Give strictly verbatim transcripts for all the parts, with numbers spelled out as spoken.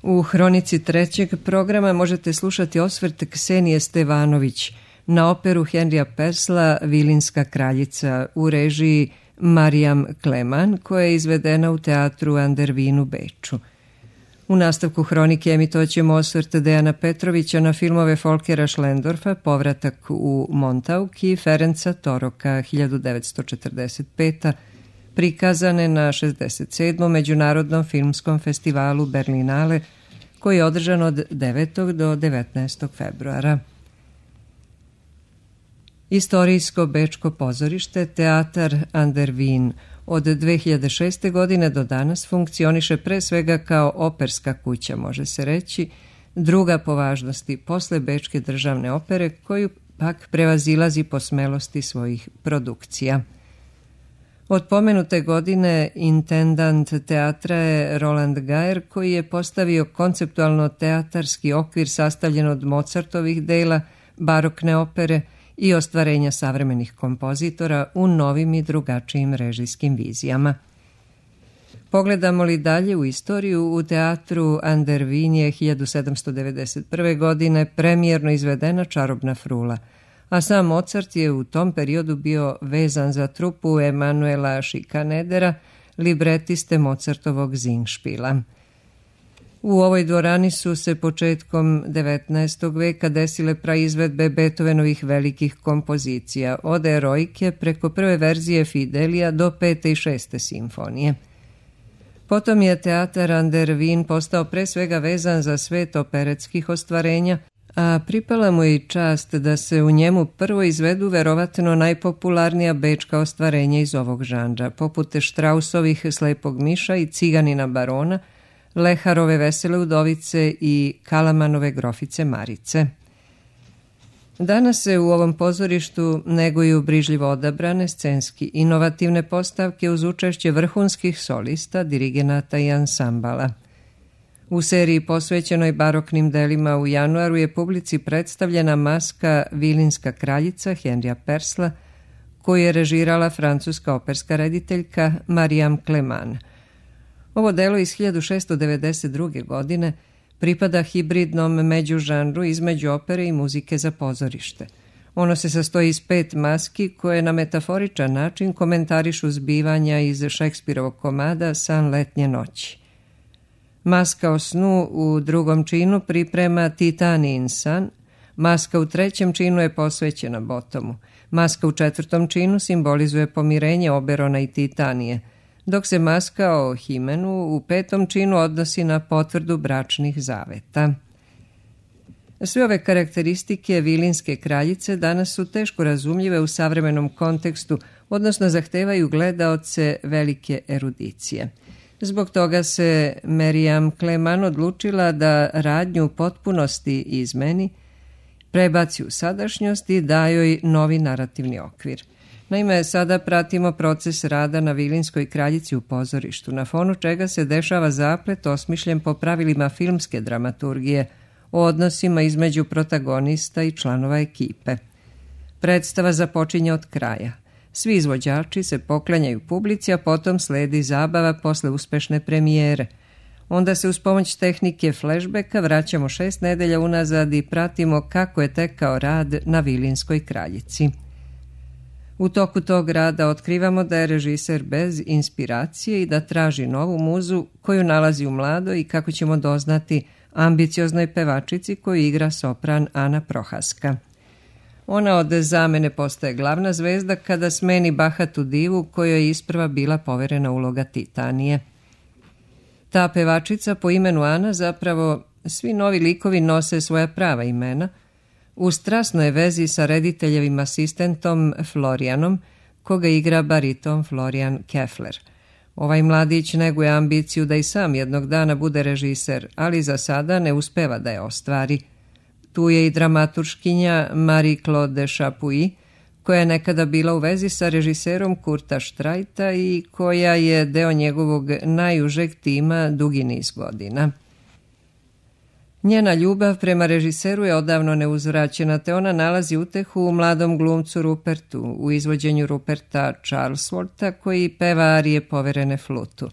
U hronici trećeg programa možete slušati osvrt Ksenije Stevanović na operu Henrija Persla Vilinska kraljica u režiji Marijam Kleman, koja je izvedena u teatru Andervin u Beču. U nastavku hronike emitovat ćemo osvrt Dejana Petrovića na filmove Folkera Schlendorfa Povratak u Montauk i Ferenca Toroka hiljadu devetsto četrdeset pete. prikazane na šezdeset sedmom Međunarodnom filmskom festivalu Berlinale, koji je održan od devetog do devetnaestog februara. Istorijsko bečko pozorište Teatar Andervin od dve hiljade šeste. godine do danas funkcioniše pre svega kao operska kuća, može se reći, druga po važnosti posle Bečke državne opere, koju pak prevazilazi po smelosti svojih produkcija. Od pomenute godine intendant teatra je Roland Gaer, koji je postavio konceptualno teatarski okvir sastavljen od Mozartovih dela, barokne opere i ostvarenja savremenih kompozitora u novim i drugačijim režijskim vizijama. Pogledamo li dalje u istoriju, u teatru Andervin je hiljadu sedamsto devedeset prve. godine premijerno izvedena Čarobna frula, a sam Mozart je u tom periodu bio vezan za trupu Emanuela Schikanedera, libretiste Mozartovog Singspiela. U ovoj dvorani su se početkom devetnaestog. veka desile praizvedbe Beethovenovih velikih kompozicija, od Eroike preko prve verzije Fidelija do pete i šeste simfonije. Potom je teatar Andervin postao pre svega vezan za svet operetskih ostvarenja, a pripala mu je i čast da se u njemu prvo izvedu verovatno najpopularnija bečka ostvarenja iz ovog žanra, poput Štrausovih Slepog miša i Ciganina barona, Leharove Vesele udovice i Kalamanove Grofice Marice. Danas se u ovom pozorištu neguju brižljivo odabrane scenski inovativne postavke uz učešće vrhunskih solista, dirigenata i ansambala. U seriji posvećenoj baroknim delima u januaru je publici predstavljena maska Vilinska kraljica Henrija Persla, koju je režirala francuska operska rediteljka Marijam Kleman. Ovo delo iz hiljadu šesto devedeset druge. godine pripada hibridnom međužanru između opere i muzike za pozorište. Ono se sastoji iz pet maski koje na metaforičan način komentarišu zbivanja iz Šekspirovog komada San letnje noći. Maska o snu u drugom činu priprema Titanin san, maska u trećem činu je posvećena Botomu, maska u četvrtom činu simbolizuje pomirenje Oberona i Titanije, dok se maska o Himenu u petom činu odnosi na potvrdu bračnih zaveta. Sve ove karakteristike Vilinske kraljice danas su teško razumljive u savremenom kontekstu, odnosno zahtevaju gledaoce velike erudicije. Zbog toga se Marijam Kleman odlučila da radnju u potpunosti izmeni, prebaci u sadašnjost i da joj novi narativni okvir. Naime, sada pratimo proces rada na Vilinskoj kraljici u pozorištu, na fonu čega se dešava zaplet osmišljen po pravilima filmske dramaturgije o odnosima između protagonista i članova ekipe. Predstava započinje od kraja. Svi izvođači se poklanjaju publici, a potom sledi zabava posle uspešne premijere. Onda se uz pomoć tehnike flashbacka vraćamo šest nedelja unazad i pratimo kako je tekao rad na Vilinskoj kraljici. U toku tog rada otkrivamo da je režiser bez inspiracije i da traži novu muzu koju nalazi u mladoj i, kako ćemo doznati, ambicioznoj pevačici koju igra sopran Ana Prohaska. Ona od zamene postaje glavna zvezda kada smeni bahatu divu kojoj je isprva bila poverena uloga Titanije. Ta pevačica po imenu Ana, zapravo svi novi likovi nose svoja prava imena, u strasnoj vezi sa rediteljevim asistentom Florianom, koga igra bariton Florian Keffler. Ovaj mladić neguje ambiciju da i sam jednog dana bude režiser, ali za sada ne uspeva da je ostvari. Tu je i dramaturškinja Marie-Claude Chapuis, koja je nekada bila u vezi sa režiserom Kurta Štrajta i koja je deo njegovog najužeg tima dugi niz godina. Njena ljubav prema režiseru je odavno neuzvraćena, te ona nalazi utehu u mladom glumcu Rupertu, u izvođenju Ruperta Charleswortha, koji peva arije poverene flutu.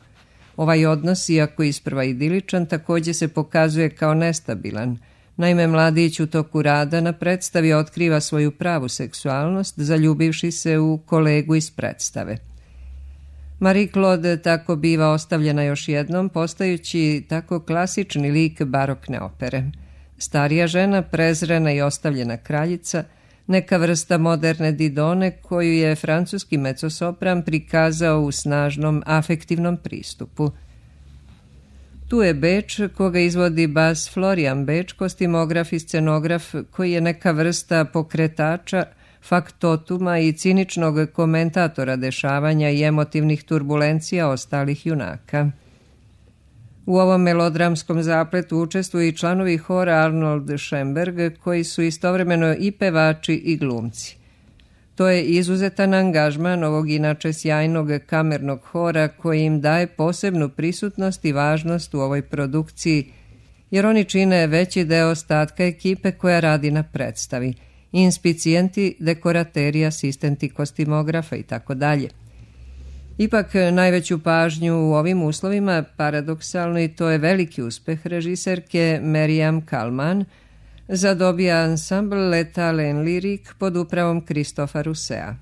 Ovaj odnos, iako isprva idiličan, također se pokazuje kao nestabilan. Naime, mladić u toku rada na predstavi otkriva svoju pravu seksualnost, zaljubivši se u kolegu iz predstave. Marie-Claude tako biva ostavljena još jednom, postajući tako klasični lik barokne opere. Starija žena, prezrena i ostavljena kraljica, neka vrsta moderne Didone koju je francuski mecosopran prikazao u snažnom afektivnom pristupu. Tu je Beč, koga izvodi bas Florian Beč, kostimograf i scenograf koji je neka vrsta pokretača, faktotuma i ciničnog komentatora dešavanja i emotivnih turbulencija ostalih junaka. U ovom melodramskom zapletu učestvuju i članovi hora Arnold Schoenberg, koji su istovremeno i pevači i glumci. To je izuzetan angažman ovog inače sjajnog kamernog hora koji im daje posebnu prisutnost i važnost u ovoj produkciji, jer oni čine veći deo ostatka ekipe koja radi na predstavi, inspicijenti, dekorateri, asistenti kostimografa i tako dalje. Ipak najveću pažnju u ovim uslovima, paradoksalno, i to je veliki uspeh režiserke Meriam Kalman, zadobija ansambl L'État en Lyrique pod upravom Christopha Rousseau.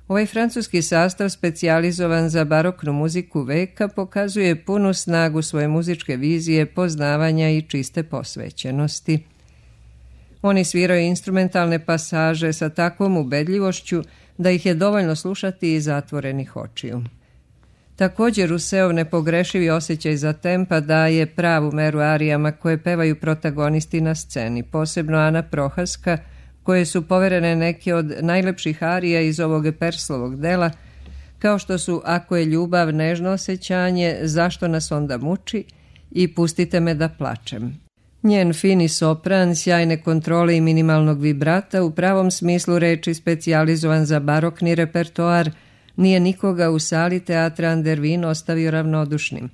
Ovaj francuski sastav, specijalizovan za baroknu muziku veka, pokazuje punu snagu svoje muzičke vizije, poznavanja i čiste posvećenosti. Oni sviraju instrumentalne pasaže sa takvom ubedljivošću da ih je dovoljno slušati iz zatvorenih očiju. Također Rousseau nepogrešivi osjećaj za tempa daje pravu meru arijama koje pevaju protagonisti na sceni, posebno Ana Prohaska, koje su poverene neke od najlepših arija iz ovog Perslovog dela, kao što su Ako je ljubav nežno osjećanje, Zašto nas onda muči i Pustite me da plačem. Njen fini sopran, sjajne kontrole i minimalnog vibrata, u pravom smislu reči specijalizovan za barokni repertoar, nije nikoga u sali teatra Andervin ostavio ravnodušnim.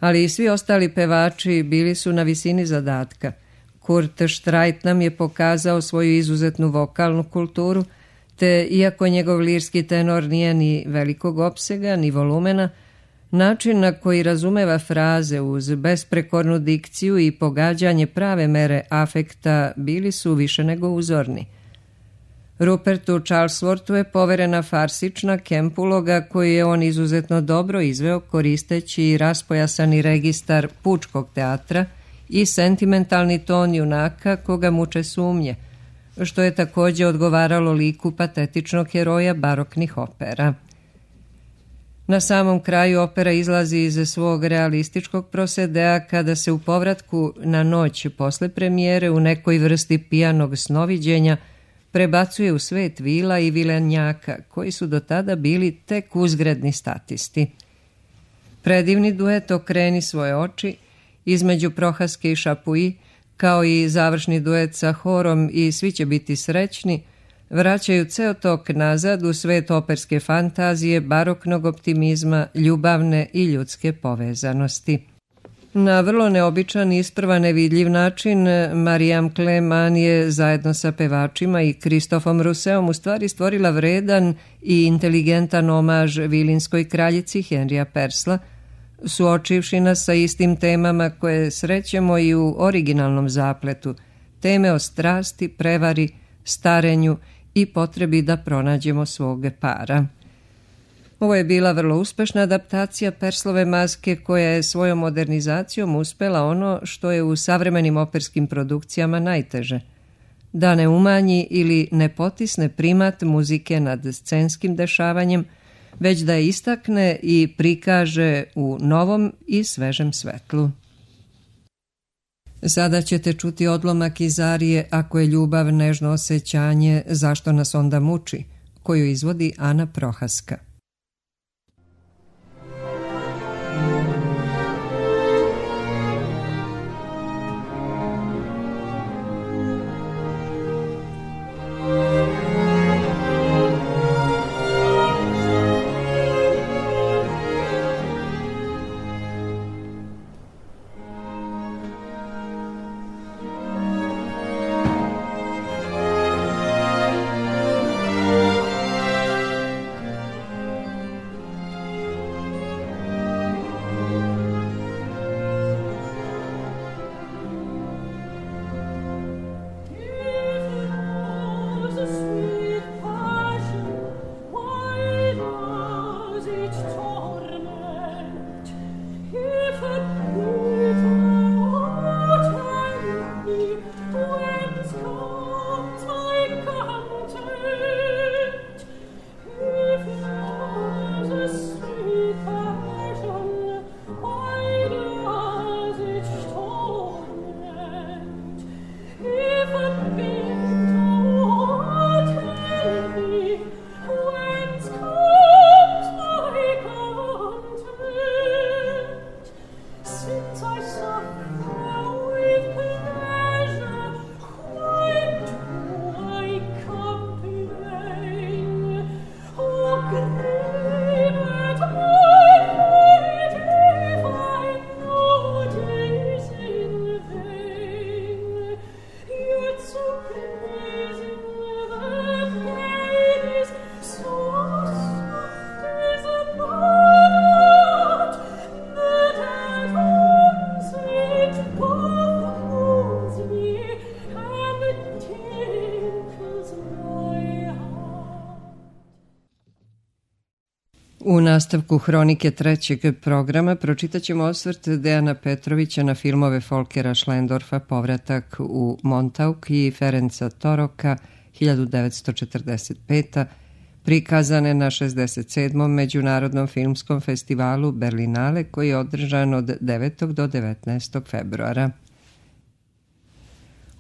Ali i svi ostali pevači bili su na visini zadatka. Kurt Streit nam je pokazao svoju izuzetnu vokalnu kulturu, te iako njegov lirski tenor nije ni velikog opsega, ni volumena, način na koji razumeva fraze uz besprekornu dikciju i pogađanje prave mere afekta bili su više nego uzorni. Rupertu Charlesworthu je poverena farsična kemp uloga koju je on izuzetno dobro izveo koristeći raspojasani registar pučkog teatra i sentimentalni ton junaka koga muče sumnje, što je također odgovaralo liku patetičnog heroja baroknih opera. Na samom kraju opera izlazi iz svog realističkog prosedea kada se u povratku na noć posle premijere u nekoj vrsti pijanog snoviđenja prebacuje u svet vila i vilenjaka, koji su do tada bili tek uzgredni statisti. Predivni duet Okreni svoje oči između Prohaske i Šapui, kao i završni duet sa horom i Svi će biti srećni, vraćaju ceo tok nazad u svet operske fantazije, baroknog optimizma, ljubavne i ljudske povezanosti. Na vrlo neobičan i isprva nevidljiv način Mariam Kleman je zajedno sa pevačima i Christophom Rousseauom u stvari stvorila vredan i inteligentan omaž vilinskoj kraljici Henrija Persla, suočivši nas sa istim temama koje srećemo i u originalnom zapletu, teme o strasti, prevari, starenju i potrebi da pronađemo svog para. Ovo je bila vrlo uspešna adaptacija Perslove maske koja je svojom modernizacijom uspela ono što je u savremenim operskim produkcijama najteže, da ne umanji ili ne potisne primat muzike nad scenskim dešavanjem, već da je istakne i prikaže u novom i svežem svetlu. Sada ćete čuti odlomak iz arije Ako je ljubav nežno osjećanje, Zašto nas onda muči, koju izvodi Ana Prohaska. U nastavku hronike trećeg programa pročitat ćemo osvrt Dejana Petrovića na filmove Folkera Schlendorfa Povratak u Montauk i Ferenca Toroka hiljadu devetsto četrdeset peta. prikazane na šezdeset sedmom Međunarodnom filmskom festivalu Berlinale koji je održan od devetog do devetnaestog februara.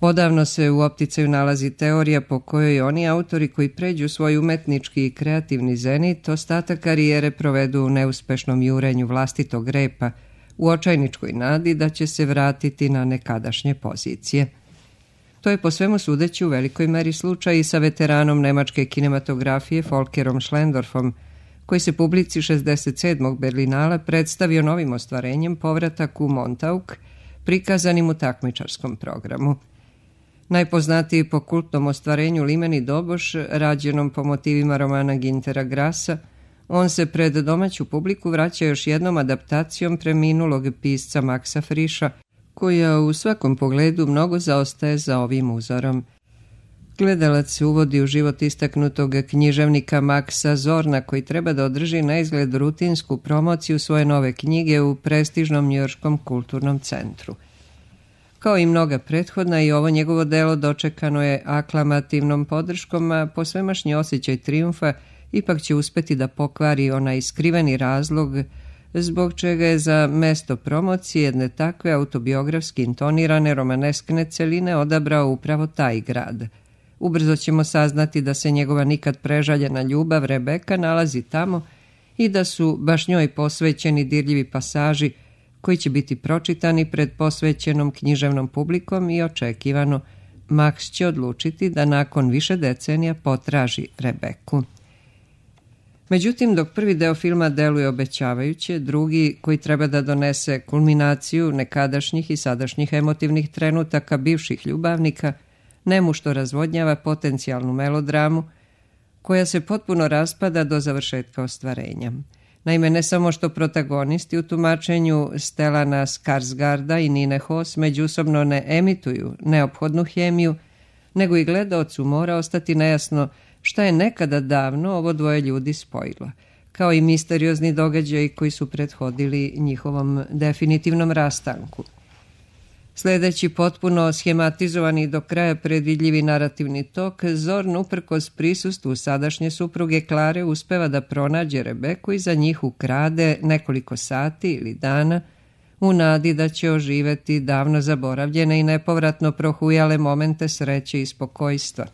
Odavno se u opticaju nalazi teorija po kojoj oni autori koji pređu svoj umetnički i kreativni zenit ostatak karijere provedu u neuspešnom jurenju vlastitog repa, u očajničkoj nadi da će se vratiti na nekadašnje pozicije. To je po svemu sudeći u velikoj meri slučaj i sa veteranom nemačke kinematografije Folkerom Schlendorfom, koji se publici šezdeset sedmog Berlinala predstavio novim ostvarenjem Povratak u Montauk, prikazanim u takmičarskom programu. Najpoznatiji po kultnom ostvarenju Limeni Doboš, rađenom po motivima romana Gintera Grasa, on se pred domaću publiku vraća još jednom adaptacijom preminulog pisca Maxa Frischa, koja u svakom pogledu mnogo zaostaje za ovim uzorom. Gledalac se uvodi u život istaknutog književnika Maxa Zorna, koji treba da održi na izgled rutinsku promociju svoje nove knjige u prestižnom njujorškom kulturnom centru. Kao i mnoga prethodna, i ovo njegovo delo dočekano je aklamativnom podrškom, a posvemašnji osjećaj trijumfa ipak će uspeti da pokvari onaj skriveni razlog zbog čega je za mesto promocije jedne takve autobiografski intonirane romaneskne celine odabrao upravo taj grad. Ubrzo ćemo saznati da se njegova nikad prežaljena ljubav Rebeka nalazi tamo i da su baš njoj posvećeni dirljivi pasaži koji će biti pročitani pred posvećenom književnom publikom i očekivano Max će odlučiti da nakon više decenija potraži Rebeku. Međutim, dok prvi deo filma deluje obećavajuće, drugi, koji treba da donese kulminaciju nekadašnjih i sadašnjih emotivnih trenutaka bivših ljubavnika, nemušto razvodnjava potencijalnu melodramu koja se potpuno raspada do završetka ostvarenja. Naime, ne samo što protagonisti u tumačenju Stellana Skarsgarda i Nine Hoss međusobno ne emituju neophodnu hemiju, nego i gledaocu mora ostati nejasno šta je nekada davno ovo dvoje ljudi spojilo, kao i misteriozni događaji koji su prethodili njihovom definitivnom rastanku. Sledeći potpuno schematizovani i do kraja predvidljivi narativni tok, Zorn uprkos prisustvu sadašnje supruge Klare uspeva da pronađe Rebeku i za njih ukrade nekoliko sati ili dana u nadi da će oživeti davno zaboravljene i nepovratno prohujale momente sreće i spokojstva.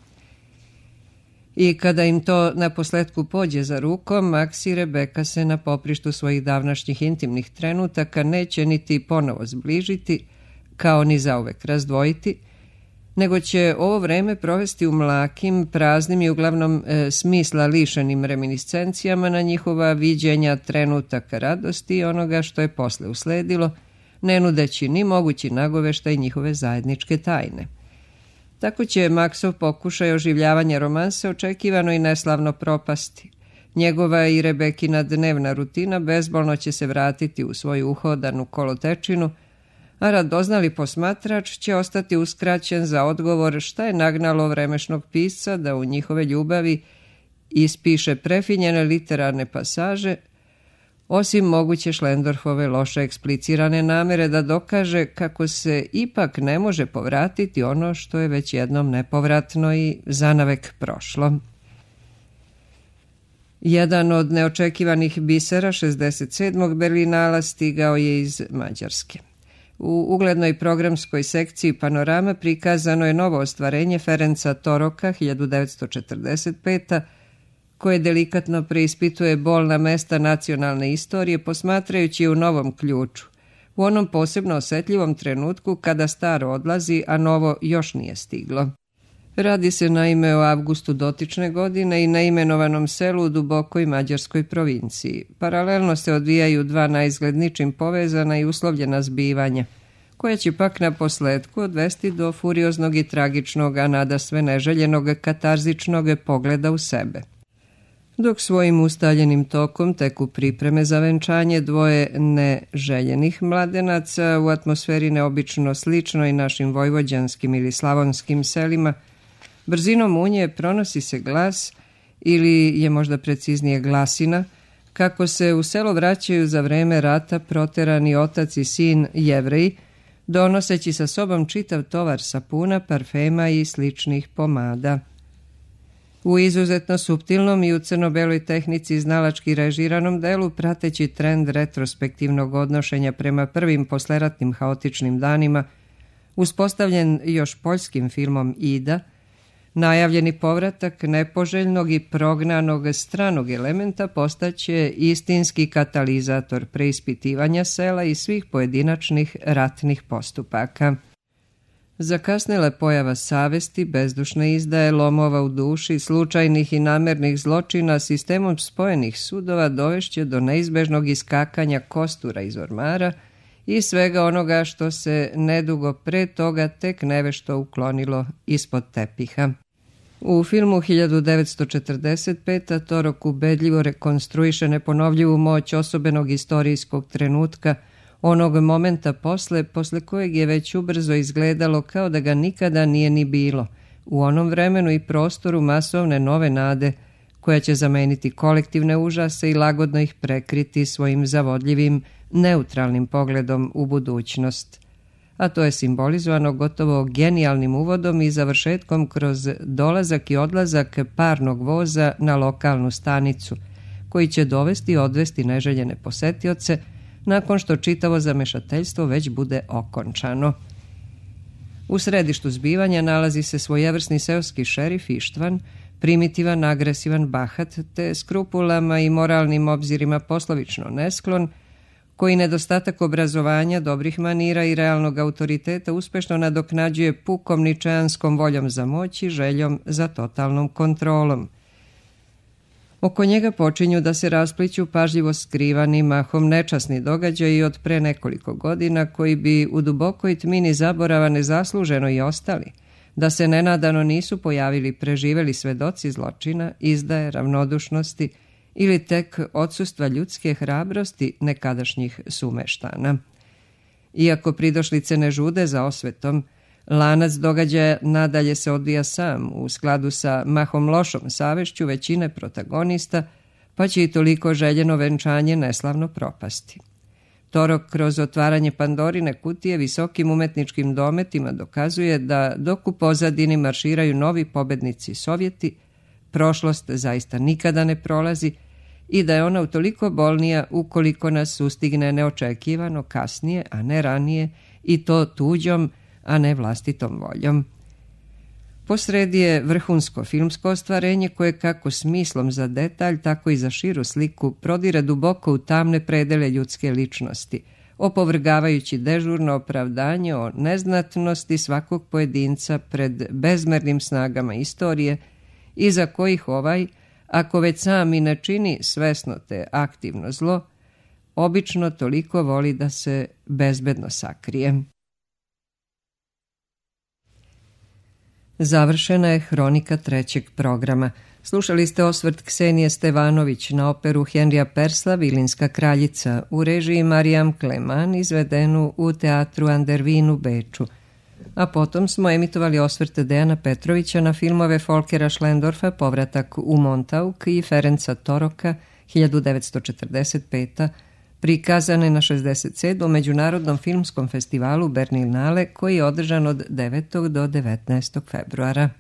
I kada im to na posletku pođe za rukom, Max i Rebeka se na poprištu svojih davnašnjih intimnih trenutaka neće niti ponovo zbližiti, kao ni zauvek razdvojiti, nego će ovo vreme provesti u mlakim, praznim i uglavnom e, smisla lišenim reminiscencijama na njihova viđenja trenutaka radosti i onoga što je posle usledilo, ne nudeći ni mogući nagoveštaj njihove zajedničke tajne. Tako će Maxov pokušaj oživljavanja romanse očekivano i neslavno propasti. Njegova i Rebekina dnevna rutina bezbolno će se vratiti u svoju uhodanu kolotečinu, a radoznali posmatrač će ostati uskraćen za odgovor šta je nagnalo vremešnog pisca da u njihove ljubavi ispiše prefinjene literarne pasaže, osim moguće Schlendorfove loše eksplicirane namere da dokaže kako se ipak ne može povratiti ono što je već jednom nepovratno i zanavek prošlo. Jedan od neočekivanih bisera šezdeset sedmog Berlinala stigao je iz Mađarske. U uglednoj programskoj sekciji Panorama prikazano je novo ostvarenje Ferenca Toroka hiljadu devetsto četrdeset pete. koje delikatno preispituje bolna mesta nacionalne istorije posmatrajući u novom ključu, u onom posebno osetljivom trenutku kada staro odlazi, a novo još nije stiglo. Radi se naime o avgustu dotične godine i na imenovanom selu u dubokoj mađarskoj provinciji. Paralelno se odvijaju dva naizgled ničim povezana i uslovljena zbivanja, koja će pak na posledku odvesti do furioznog i tragičnog, a nadasve neželjenog katarzičnog pogleda u sebe. Dok svojim ustaljenim tokom teku pripreme za venčanje dvoje neželjenih mladenaca u atmosferi neobično sličnoj našim vojvođanskim ili slavonskim selima, brzinom unje pronosi se glas, ili je možda preciznije glasina, kako se u selo vraćaju za vreme rata proterani otac i sin Jevreji, donoseći sa sobom čitav tovar sapuna, parfema i sličnih pomada. U izuzetno suptilnom i u crno-beloj tehnici znalački režiranom delu, prateći trend retrospektivnog odnošenja prema prvim posleratnim haotičnim danima, uspostavljen još poljskim filmom Ida, najavljeni povratak nepoželjnog i prognanog stranog elementa postaće istinski katalizator preispitivanja sela i svih pojedinačnih ratnih postupaka. Zakasnila pojava savesti, bezdušne izdaje, lomova u duši, slučajnih i namernih zločina sistemom spojenih sudova dovešće do neizbežnog iskakanja kostura iz ormara i svega onoga što se nedugo pre toga tek nevešto uklonilo ispod tepiha. U filmu hiljadu devetsto četrdeset pete. Torok ubedljivo rekonstruiše neponovljivu moć osobenog istorijskog trenutka, onog momenta posle, posle kojeg je već ubrzo izgledalo kao da ga nikada nije ni bilo, u onom vremenu i prostoru masovne nove nade, koja će zameniti kolektivne užase i lagodno ih prekriti svojim zavodljivim, neutralnim pogledom u budućnost. A to je simbolizovano gotovo genijalnim uvodom i završetkom kroz dolazak i odlazak parnog voza na lokalnu stanicu, koji će dovesti i odvesti neželjene posetioce nakon što čitavo zamešateljstvo već bude okončano. U središtu zbivanja nalazi se svojevrsni seoski šerif Ištvan, primitivan, agresivan, bahat, te skrupulama i moralnim obzirima poslovično nesklon, koji nedostatak obrazovanja, dobrih manira i realnog autoriteta uspešno nadoknađuje pukom ničeanskom voljom za moć i željom za totalnom kontrolom. Oko njega počinju da se raspliću pažljivo skrivani, mahom nečasni događaji od pre nekoliko godina koji bi u dubokoj tmini zaborava nezasluženo i ostali, da se nenadano nisu pojavili preživeli svedoci zločina, izdaje, ravnodušnosti ili tek odsustva ljudske hrabrosti nekadašnjih sumeštana. Iako pridošlice ne žude za osvetom, lanac događaja nadalje se odvija sam u skladu sa mahom lošom savešću većine protagonista, pa će i toliko željeno venčanje neslavno propasti. Torok kroz otvaranje Pandorine kutije visokim umetničkim dometima dokazuje da dok u pozadini marširaju novi pobednici Sovjeti, prošlost zaista nikada ne prolazi i da je ona utoliko bolnija ukoliko nas sustigne neočekivano kasnije, a ne ranije, i to tuđom, a ne vlastitom voljom. Posredi je vrhunsko filmsko ostvarenje koje kako smislom za detalj, tako i za širu sliku prodire duboko u tamne predele ljudske ličnosti, opovrgavajući dežurno opravdanje o neznatnosti svakog pojedinca pred bezmernim snagama istorije, iza kojih ovaj, ako već sam i ne čini svesno te aktivno zlo, obično toliko voli da se bezbedno sakrije. Završena je hronika trećeg programa. Slušali ste osvrt Ksenije Stevanović na operu Henrija Persla Vilinska kraljica u režiji Marijam Kleman, izvedenu u teatru Andervin u Beču. A potom smo emitovali osvrte Dejana Petrovića na filmove Folkera Schlendorfa Povratak u Montauk i Ferenca Toroka hiljadu devetsto četrdeset pete. prikazane na šezdeset sedmom Međunarodnom filmskom festivalu Berlinale koji je održan od devetog do devetnaestog februara.